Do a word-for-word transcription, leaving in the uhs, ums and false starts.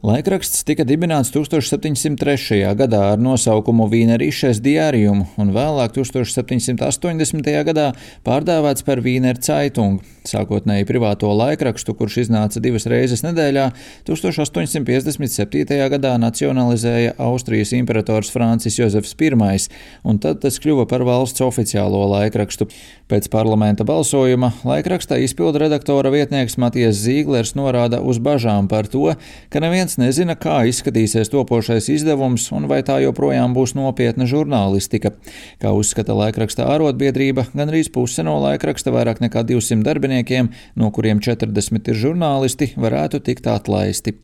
Laikraksts tika dibināts tūkstoš septiņsimt trešajā gadā ar nosaukumu Wienerisches Diarium un vēlāk tūkstoš septiņsimt astoņdesmitajā gadā pārdēvēts par Wiener Zeitung, sākotnēji privāto laikrakstu, kurš iznāca divas reizes nedēļā, tūkstoš astoņsimt piecdesmit septītajā gadā nacionalizēja Austrijas imperators Francis Jozefs Pirmais, un tad tas kļuva par valsts oficiālo laikrakstu. Pēc parlamenta balsojuma laikrakstā izpildu redaktora vietnieks Matijas Zīglers norāda uz bažām par to, ka neviens nezina, kā izskatīsies topošais izdevums un vai tā joprojām būs nopietna žurnālistika. Kā uzskata laikraksta ārotbiedrība, gandrīz puse no laikraksta, vairāk nekā divsimt darbiniekiem, no kuriem četrdesmit ir žurnālisti, varētu tikt atlaisti.